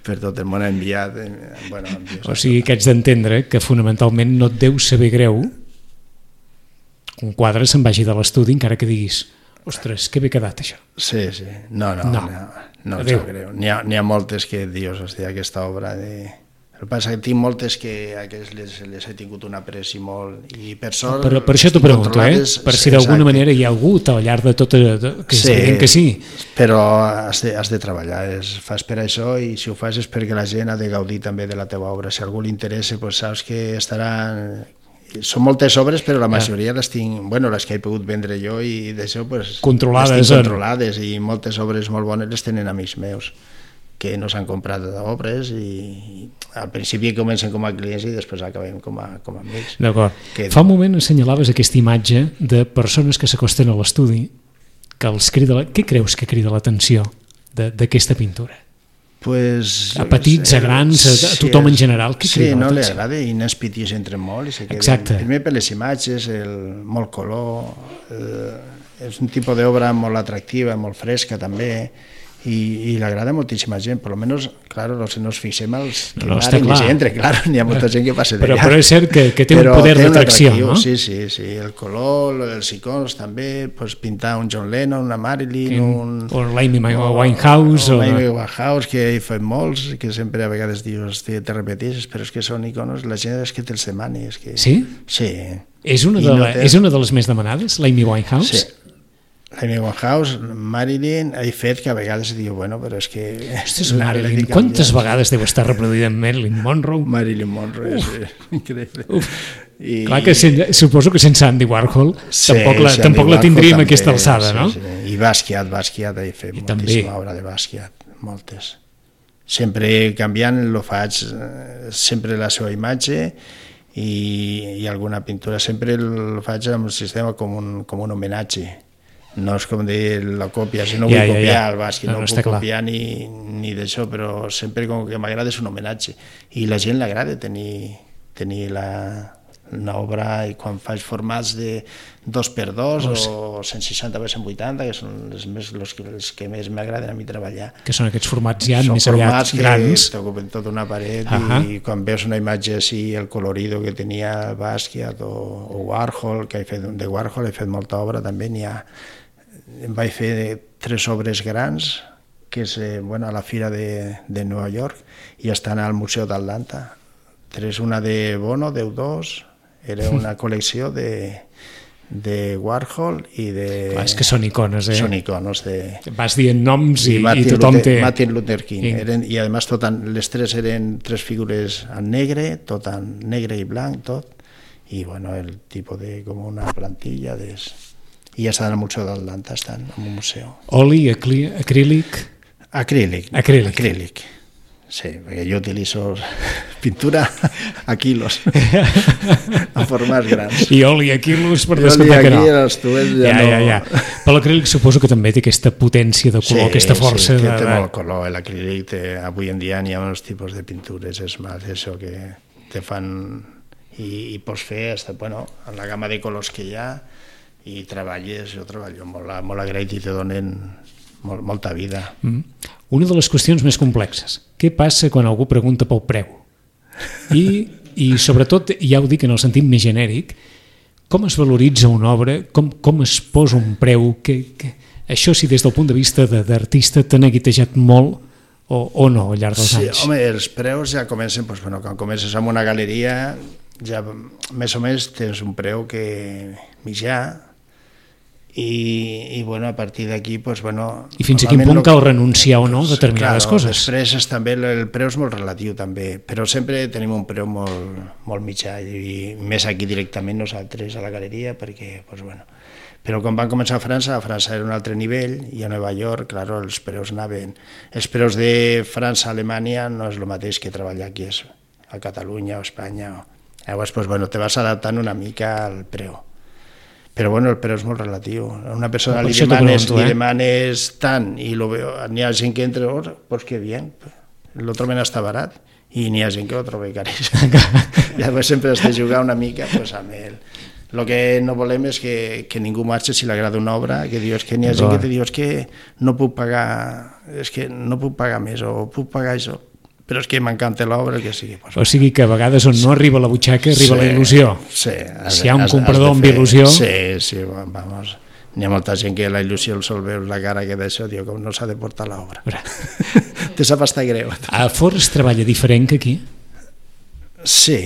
Speaker 3: Per tot el món ha enviat... Bueno, enviat
Speaker 2: o sigui que haig d'entendre que fonamentalment no et deu saber greu que un quadre se'n vagi de l'estudi encara que diguis, ostres, que bé quedat això.
Speaker 3: Sí, sí. No, no, no, no, no em sap greu. N'hi ha, n'hi ha moltes que dius, hòstia, aquesta obra de... El que passa que tinc moltes que aquestes les, les he tingut un apreci molt i per sort...
Speaker 2: Per, per això t'ho pregunto, eh? Per si d'alguna manera hi ha hagut al llarg de tot... Que sí, que sí.
Speaker 3: Però has de, has de treballar, és, fas per això i si ho fas és perquè la gent ha de gaudir també de la teva obra. Si a algú li interessa, pues saps que estaran... Són moltes obres, però la majoria les tinc... Bueno, les que he pogut vendre jo i d'això, pues...
Speaker 2: Controlades.
Speaker 3: Les tinc controlades i moltes obres molt bones les tenen amics meus que no s'han comprat d'obres i al principi comencen com a clients i després acabem com a, com a amics.
Speaker 2: D'acord. Que... Fa un moment assenyalaves aquesta imatge de persones que s'acosten a l'estudi que els crida... La... Què creus que crida l'atenció d'aquesta pintura?
Speaker 3: Pues,
Speaker 2: a petits, sé, a grans, a, a tothom en general, què crida
Speaker 3: sí, no
Speaker 2: l'atenció?
Speaker 3: li agrada i nens petits entren molt i se queden.
Speaker 2: Exacte.
Speaker 3: Primer per les imatges, el molt color, eh, és un tipus d'obra molt atractiva, molt fresca també, i, i l'agrada moltíssima gent, per almenys, claro, no ens fixem els que no, van i entre, claro, n'hi ha molta gent que passa d'allà.
Speaker 2: Però, però és cert que, que té però un poder d'atracció, no?
Speaker 3: Sí, sí, sí, el color, els icons també, pues, pintar un John Lennon, una Marilyn, un...
Speaker 2: O l'Amy Winehouse.
Speaker 3: O l'Amy Winehouse, que he fet molts, que sempre a vegades dius, te repeteixes, però és que són iconos, la gent és que te'ls demani. És que...
Speaker 2: Sí?
Speaker 3: Sí.
Speaker 2: És una, de no la, té... és una de les més demanades, l'Amy Winehouse?
Speaker 3: Sí. L'Amy Winehouse, Marilyn, he fet que a vegades diu, bueno, però és que...
Speaker 2: Ostres, Marilyn, quantes vegades deu estar reproduïda en Marilyn Monroe?
Speaker 3: Marilyn Monroe, Uf. és increïble. Uf.
Speaker 2: I... Clar que sen, suposo que sense Andy Warhol
Speaker 3: sí,
Speaker 2: tampoc la,
Speaker 3: sí,
Speaker 2: tampoc la tindríem
Speaker 3: també,
Speaker 2: aquesta alçada,
Speaker 3: sí,
Speaker 2: no?
Speaker 3: Sí. I Basquiat, Basquiat, he fet I moltíssima també. Obra de Basquiat, moltes. Sempre canviant, lo faig sempre la seva imatge i, i alguna pintura, sempre el faig amb un sistema com un, com un homenatge. No és com dir la còpia, si no vull ja, ja, copiar ja. el Basquiat, no, no, no puc copiar ni, ni d'això, però sempre com que m'agrada és un homenatge. I la gent l'agrada tenir, tenir la, una obra, i quan faig formats de dos per dos oh, sí. o cent seixanta per cent vuitanta, que són els, més, els, els que més m'agraden a mi treballar.
Speaker 2: Que són aquests formats ja
Speaker 3: són
Speaker 2: més aviat grans.
Speaker 3: Són t'ocupen tota una paret uh
Speaker 2: -huh.
Speaker 3: i quan veus una imatge així, el colorido que tenia Basquiat o, o Warhol, que he fet de Warhol, he fet molta obra, també n'hi ha em vaig fer tres obres grans, que és eh, bueno, a la Fira de, de Nova York, i estan al Museu d'Atlanta. Tres, una de Bono, deu dos, era una col·lecció de, de Warhol i de...
Speaker 2: Clar, és que són icones, eh?
Speaker 3: Són icones de...
Speaker 2: Vas dient noms i,
Speaker 3: i,
Speaker 2: i tothom
Speaker 3: Luther,
Speaker 2: té...
Speaker 3: Martin Luther King.
Speaker 2: I,
Speaker 3: eren, i a més tot en, les tres eren tres figures en negre, tot en negre i blanc, tot. I bueno, el tipus de... com una plantilla de... I ja estan al Museu d'Atlanta, estan en un museu.
Speaker 2: Oli, acli, acrílic...
Speaker 3: Acrílic.
Speaker 2: Acrílic.
Speaker 3: Acrílic. Sí, perquè jo utilitzo pintura a quilos, a formats grans.
Speaker 2: I oli a quilos per
Speaker 3: I
Speaker 2: descomptar que no.
Speaker 3: I els tuets ja,
Speaker 2: ja,
Speaker 3: no...
Speaker 2: ja, ja. Però l'acrílic suposo que també té aquesta potència de color,
Speaker 3: sí,
Speaker 2: aquesta força.
Speaker 3: Sí,
Speaker 2: de...
Speaker 3: té molt color. L'acrílic, té... avui en dia hi ha uns tipus de pintures, és més això que te fan... I, i pots fer, hasta, bueno, en la gamma de colors que hi ha, i treballes, jo treballo molt, molt agraït i te donen molt, molta vida.
Speaker 2: Mm. Una de les qüestions més complexes. Què passa quan algú pregunta pel preu? I, i sobretot, ja ho dic en el sentit més genèric, com es valoritza una obra, com, com es posa un preu, que, que... això si des del punt de vista d'artista t'ha neguitejat molt o, o no al llarg dels
Speaker 3: sí,
Speaker 2: anys?
Speaker 3: Home, els preus ja comencen, doncs, bueno, quan comences amb una galeria, ja més o més tens un preu que mitjà, I, i bueno, a partir d'aquí pues, bueno,
Speaker 2: i fins a quin punt cal renunciar o no a determinades
Speaker 3: claro,
Speaker 2: coses.
Speaker 3: Després és, també el preu és molt relatiu també, però sempre tenim un preu molt, molt mitjà i més aquí directament nosaltres a la galeria perquè, pues, bueno, però quan van començar a França, a França era un altre nivell i a Nova York, claro, els preus anaven els preus de França a Alemanya no és el mateix que treballar aquí a Catalunya o Espanya o... llavors pues, bueno, te vas adaptant una mica al preu. Però bueno, el preu és molt relatiu. A una persona li demanes, li demanes tant i lo veo, n'hi ha gent que entra, oh, pues que bien, lo troben hasta barat i n'hi ha gent que ho troba caríssim. Llavors sempre has de jugar una mica pues, amb el... El que no volem és que, que ningú marxi si li agrada una obra, que dius que n'hi ha gent que te diu que no puc pagar, és que no puc pagar més o puc pagar això. Però és que m'encanta l'obra, que sigui... Pues,
Speaker 2: o sigui que a vegades on no arriba la butxaca arriba sí, la il·lusió.
Speaker 3: Sí. Has,
Speaker 2: si hi ha un
Speaker 3: has,
Speaker 2: comprador
Speaker 3: has
Speaker 2: amb il·lusió...
Speaker 3: Sí, sí, vamos. N'hi ha molta gent que la il·lusió el sol veure la cara que d'això, diu, com no s'ha de portar l'obra. Te sap estar greu.
Speaker 2: A Forns treballa diferent que aquí?
Speaker 3: Sí.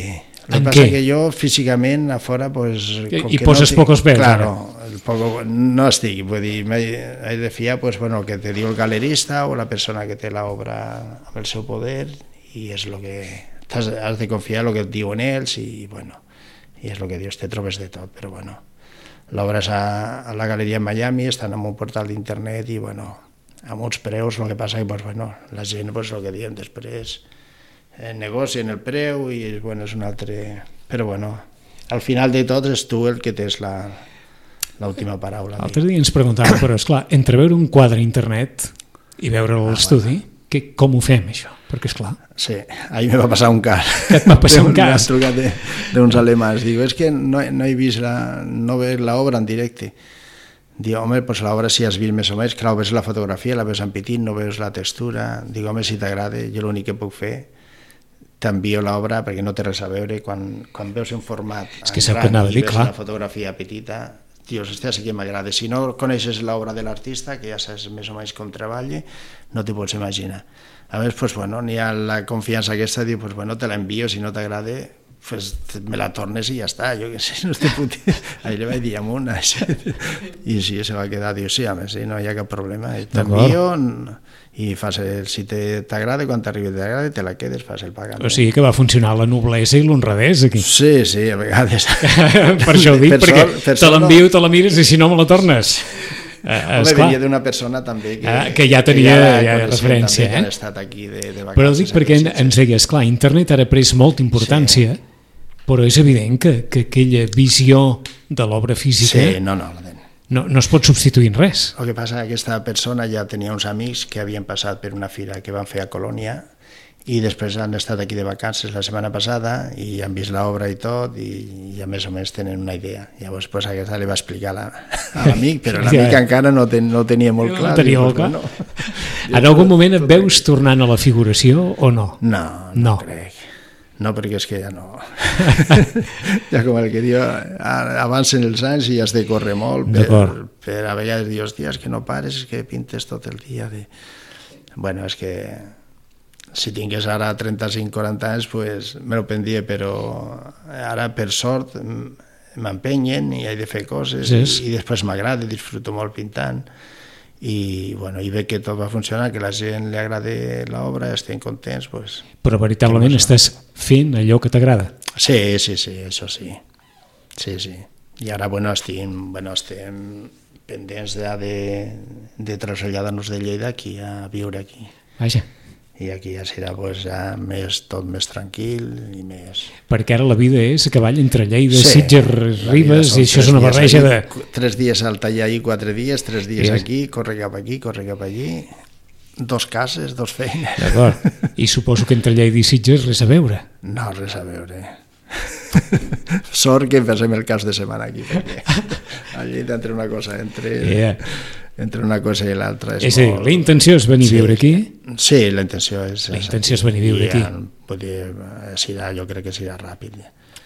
Speaker 3: El que passa que jo físicament a fora... Pues,
Speaker 2: I que poses no pocos pèls.
Speaker 3: Claro, el poco, no estic, vull dir, he de fiar pues, bueno, que te diu el galerista o la persona que té l'obra amb el seu poder i és el que... Has, has de confiar en el que et diuen ells i, bueno, i és el que dius, te trobes de tot, però bueno, l'obra és a, a la galeria en Miami, estan en un portal d'internet i, bueno, amb uns preus, el que passa que, pues, bueno, la gent, pues, el que diem després, eh, negocien el preu i, bueno, és un altre... Però, bueno, al final de tot és tu el que tens la... l'última paraula.
Speaker 2: L'altre dia ens preguntava, però esclar, entre veure un quadre a internet i veure l'estudi, ah, bueno. que, com ho fem això? Perquè esclar...
Speaker 3: Sí, ahir me va passar un cas.
Speaker 2: Que et va passar un cas?
Speaker 3: M'han trucat d'uns alemans. Digo, és que no, no he vist la, no veig l'obra en directe. Digo, home, pues l'obra si has vist més o menys, clar, ves la fotografia, la ves en petit, no veus la textura. Digo, home, si t'agrada, jo l'únic que puc fer t'envio l'obra perquè no té res a veure quan, quan veus un format
Speaker 2: és que gran i
Speaker 3: dir,
Speaker 2: veus
Speaker 3: clar. La fotografia petita, dius, hòstia, sí que m'agrada. Si no coneixes l'obra de l'artista, que ja saps més o menys com treballa, no t'hi pots imaginar. A més, pues, bueno, n'hi ha la confiança aquesta, diu, pues, bueno, te la envio, si no t'agrada, pues, me la tornes i ja està, jo què sé, no estic puti... Ahí li vaig dir amunt, i sí, se va quedar, diu, sí, a més, sí, no hi ha cap problema, t'envio i fas el, si t'agrada, quan t'arribi t'agrada, te la quedes, fas el pagament.
Speaker 2: O sigui que va funcionar la noblesa i l'honradesa aquí.
Speaker 3: Sí, sí, a vegades.
Speaker 2: Per això ho dic, per perquè sol, per te l'envio, no. Te la mires i si no me la tornes.
Speaker 3: Uh, Home, venia d'una persona també que,
Speaker 2: ah, que ja tenia que ja, ja referència,
Speaker 3: també,
Speaker 2: eh?
Speaker 3: Que estat aquí de, de vacances.
Speaker 2: Però dic perquè en, ens deies, clar, internet ara ha pres molta importància, sí. Però és evident que, que aquella visió de l'obra física
Speaker 3: sí, no, no,
Speaker 2: no, no es pot substituir en res.
Speaker 3: El que passa és que aquesta persona ja tenia uns amics que havien passat per una fira que van fer a Colònia i després han estat aquí de vacances la setmana passada i han vist l'obra i tot i ja més o menys tenen una idea. Llavors pues, aquesta li va explicar la, a l'amic, però l'amic ja. encara no, ten, no tenia molt clar.
Speaker 2: No tenia molt clar. No. En algun moment et veus tornant a la figuració o no?
Speaker 3: No, no, no. crec. No, perquè és que ja no... ja com el que diu, avancen els anys i has de córrer molt per, per a vegades dius, hòstia, és que no pares, és que pintes tot el dia. De... Bueno, és que si tingués ara trenta-cinc quaranta anys, pues, me lo prendria, però ara, per sort, m'empenyen i he de fer coses, sí. i, i després m'agrada, disfruto molt pintant, i, bueno, i veig que tot va funcionar, que la gent li agrada l'obra, estem contents. Pues,
Speaker 2: però veritablement estàs fent allò que t'agrada.
Speaker 3: Sí, sí, sí, això sí. Sí, sí. I ara, bueno, estem, bueno, estem pendents de, de, de traslladar-nos de Lleida aquí a viure aquí.
Speaker 2: Vaja.
Speaker 3: I aquí ja serà pues, ja més, tot més tranquil i més...
Speaker 2: Perquè ara la vida és a cavall entre Lleida,
Speaker 3: sí,
Speaker 2: Sitges, Ribes, i això és una barreja de...
Speaker 3: Tres dies al taller i quatre dies, tres dies aquí, corre cap aquí, corre cap allí, dos cases, dos feines...
Speaker 2: D'acord, i suposo que entre Lleida i Sitges res a veure.
Speaker 3: No, res a veure. Sort que fem el cas de setmana aquí, perquè allí entre una cosa, entre... Yeah. entre una cosa i l'altra és,
Speaker 2: és molt... a dir, la intenció és venir a
Speaker 3: sí,
Speaker 2: viure aquí?
Speaker 3: Sí, la intenció és...
Speaker 2: La intenció és venir a viure aquí.
Speaker 3: Vull dir, serà, jo crec que serà ràpid.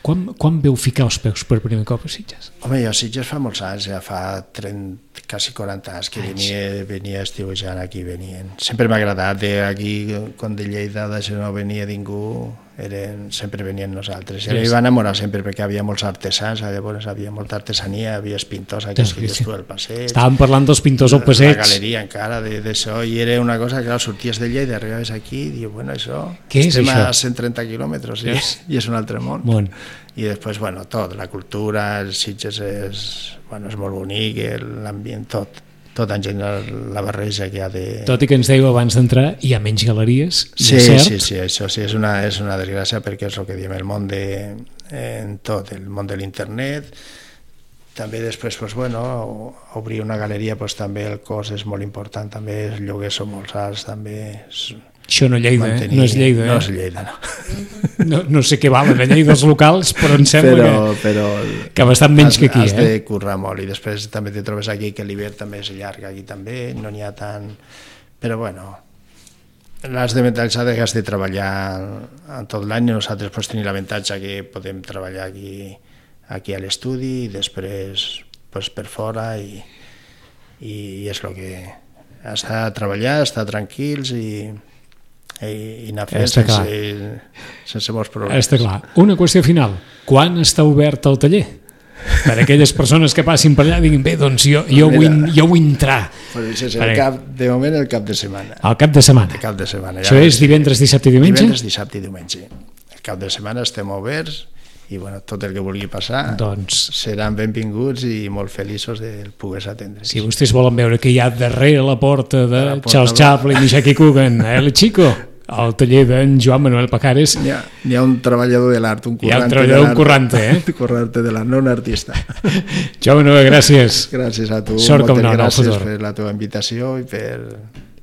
Speaker 2: Quan, quan veu ficar els peus per primer cop a Sitges?
Speaker 3: Home, jo a Sitges fa molts anys, ja fa trenta, quasi quaranta anys que venia, venia estiuejant aquí, venien. Sempre m'ha agradat, aquí, quan de Lleida d'això no venia ningú, eren, sempre venien nosaltres. I sí. va enamorar sempre perquè havia molts artesans, llavors havia molta artesania, havia pintors aquí, sí, sí. al passeig.
Speaker 2: Estàvem parlant dels pintors al passeig.
Speaker 3: La galeria encara d'això, i era una cosa que clar, sorties de Lleida, arribaves aquí i dius, bueno, això...
Speaker 2: Què és
Speaker 3: estem
Speaker 2: això?
Speaker 3: a cent trenta quilòmetres i és, i és un altre món.
Speaker 2: Món.
Speaker 3: I després, bueno, tot, la cultura, els Sitges és, bueno, és molt bonic, l'ambient, tot. Tot en general, la barreja que hi ha de...
Speaker 2: Tot i que ens dèieu abans d'entrar, hi ha menys galeries,
Speaker 3: sí,
Speaker 2: cert?
Speaker 3: Sí, sí, això sí, és una, és una desgràcia perquè és el que diem, el món de... en tot, el món de l'internet, també després, pues, bueno, obrir una galeria, pues, també el cost és molt important, també els lloguers són molt alts, també... És...
Speaker 2: Això no Lleida, mantenir... eh? No és Lleida, eh?
Speaker 3: No és Lleida, no.
Speaker 2: No, no sé què valen a Lleida els locals, però em sembla
Speaker 3: però,
Speaker 2: que,
Speaker 3: però
Speaker 2: que bastant menys
Speaker 3: has,
Speaker 2: que aquí,
Speaker 3: has
Speaker 2: eh?
Speaker 3: Has de currar molt, i després també te trobes aquí que l'hivern també és llarg, aquí també, no n'hi ha tant... Però, bueno, l'has de mentalitzar que has de treballar en tot l'any, nosaltres pues, tenim l'avantatge que podem treballar aquí, aquí a l'estudi, i després pues, per fora, i, i és el que... Estar a treballar, estar tranquils i... i anar fent sense, sense molts problemes.
Speaker 2: Està clar. Una qüestió final. Quan està obert el taller? Per a aquelles persones que passin per allà i diguin, bé, doncs jo, jo, Mira, vull, jo vull entrar.
Speaker 3: Pues és el cap, de moment el cap de setmana.
Speaker 2: El cap de setmana.
Speaker 3: El cap de setmana.
Speaker 2: Això ja és divendres, dissabte i diumenge?
Speaker 3: Divendres, dissabte i diumenge. El cap de setmana estem oberts i bueno, tot el que vulgui passar doncs... seran benvinguts i molt feliços de poder atendre.
Speaker 2: Si vostès volen veure què hi ha darrere la porta de la porta Charles Chaplin i Jackie Coogan, eh, el Chico, al taller d'en Joan Manuel Pajares,
Speaker 3: N'hi ha, hi ha un treballador de l'art, un currante.
Speaker 2: Hi ha un treballador, un currante, eh?
Speaker 3: Un currante de l'art, no un artista.
Speaker 2: Joan Manuel, gràcies.
Speaker 3: Gràcies a tu.
Speaker 2: Sort com no,
Speaker 3: gràcies per la teva invitació i per...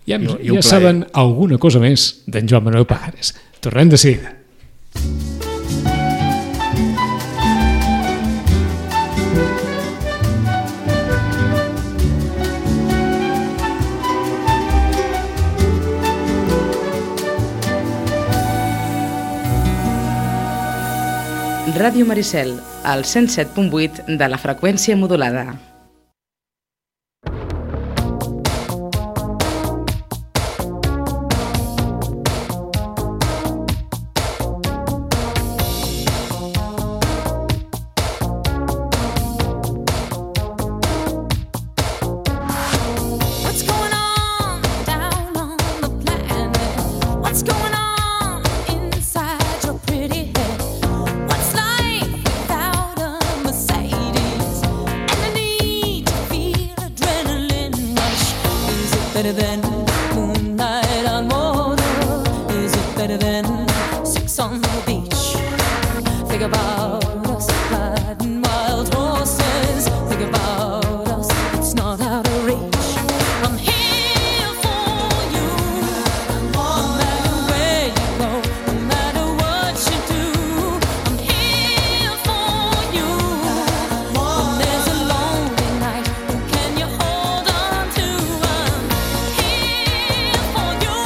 Speaker 2: Ja, i, i ja saben alguna cosa més d'en Joan Manuel Pajares. Tornem de seguida.
Speaker 4: Ràdio Maricel, al cent set punt vuit de la freqüència modulada.
Speaker 5: better than moonlight on water? Is it better than sex on the beach? Think about us riding wild horses. Think about us, it's not out of reach. I'm here for you, no matter where you go, no matter what you do. I'm here for you. When there's a lonely night, who can you hold on to? I'm here for you.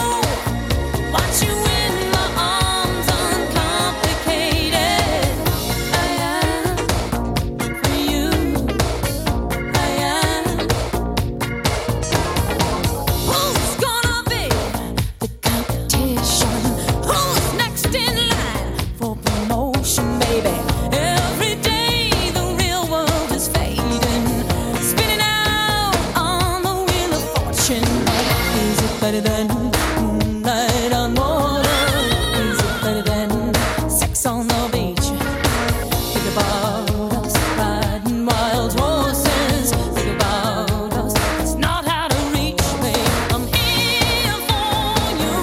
Speaker 5: Watch you in my arms, uncomplicated. better than moonlight on water? Is it better than sex on the beach? Think about us riding wild horses. Think about us, it's not out of reach, babe. I'm here for you.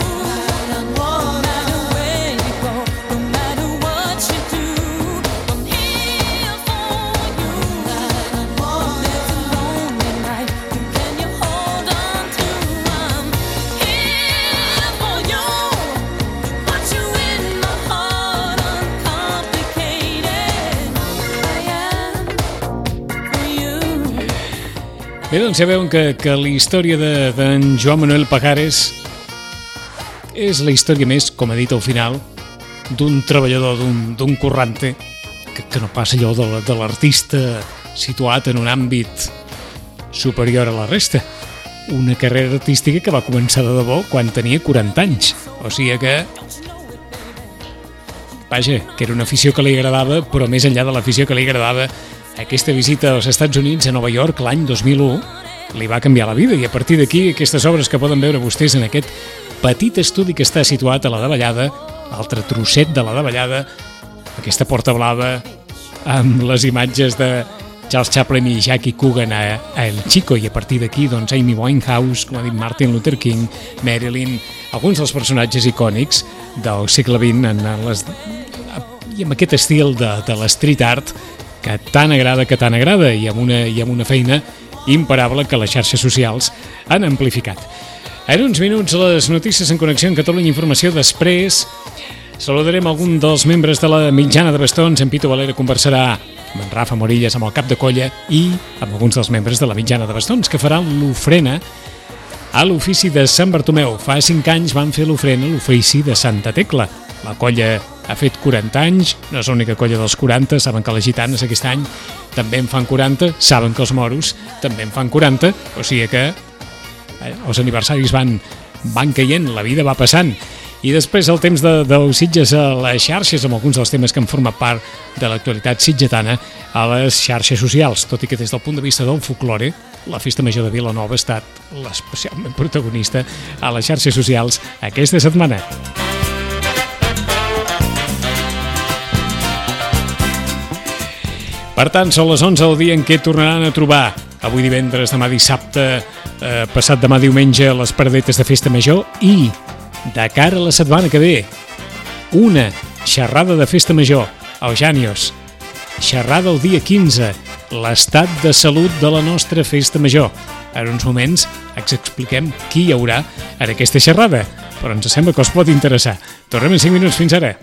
Speaker 5: No matter where you go, no matter what you do, I'm here for you. When there's a lonely night, who can you hold on to? I'm here for you. Put you in my heart, uncomplicated. I am for you.
Speaker 2: Bé, doncs ja veuen que, que la història de- d'en Joan Manuel Pajares és la història més, com ha dit al final, d'un treballador, d'un d'un currante, que, que no passa allò de la- de l'artista situat en un àmbit superior a la resta. Una carrera artística que va començar de debò quan tenia quaranta anys. O sigui que... Vaja, que era una afició que li agradava, però més enllà de l'afició que li agradava, aquesta visita als Estats Units, a Nova York, l'any dos mil u, li va canviar la vida, i a partir d'aquí aquestes obres que poden veure vostès en aquest petit estudi que està situat a la davallada, altre trosset de la davallada, aquesta porta blava amb les imatges de Charles Chaplin i Jackie Coogan a, a El Chico, i a partir d'aquí doncs Amy Winehouse, com ha dit Martin Luther King, Marilyn, alguns dels personatges icònics del segle vint en les, i amb aquest estil de, de l'street art que tant agrada, que tant agrada, i amb una, i amb una feina imparable que les xarxes socials han amplificat. En uns minuts les notícies en connexió amb Catalunya Informació. Després saludarem algun dels membres de la mitjana de bastons. En Pito Valera conversarà amb en Rafa Morillas, amb el cap de colla, i amb alguns dels membres de la mitjana de bastons que faran l'ofrena a l'ofici de Sant Bartomeu. Fa cinc anys van fer l'ofrena a l'ofici de Santa Tecla. La colla ha fet quaranta anys, no és l'única colla dels quaranta, saben que les gitanes aquest any també en fan quaranta, saben que els moros també en fan quaranta, o sigui que eh, els aniversaris van, van caient, la vida va passant. I després el temps de, dels Sitges a les xarxes, amb alguns dels temes que han format part de l'actualitat sitgetana a les xarxes socials, tot i que des del punt de vista del folklore, la Festa Major de Vilanova ha estat l'especialment protagonista a les xarxes socials aquesta setmana. Per tant, són les onze del dia en què tornaran a trobar avui divendres, demà dissabte, eh, passat demà diumenge, les paradetes de Festa Major, i de cara a la setmana que ve, una xerrada de Festa Major al Jànios. Xerrada el dia quinze, l'estat de salut de la nostra Festa Major. En uns moments ens expliquem qui hi haurà en aquesta xerrada, però ens sembla que us pot interessar. Tornem en cinc minuts, fins ara.